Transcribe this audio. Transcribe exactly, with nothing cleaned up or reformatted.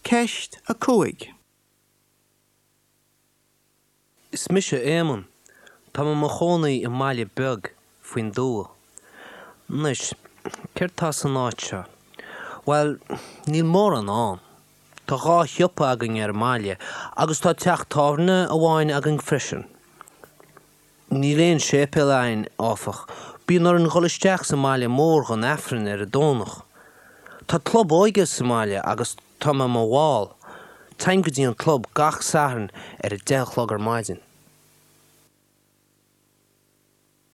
Ceist a cúig. Is mise Éamonn. Tá mé i mo chónaí i mbaile beag faoin dtuath. Anois, céard tá san áit seo? Bhuel, níl mórán ann. Tá dhá shiopa againn ar an mbaile agus tá teach tábhairne amháin againn freisin. Níl aon séipéal againn, áfach. Bíonn orainn dhul isteach sa mbaile mór don Aifreann ar an Domhnach. Tá club óige sa mbaile agus tá mé i mo bhall. Téim go dtí an club gach Satharn ar a deich a chlog ar maidin.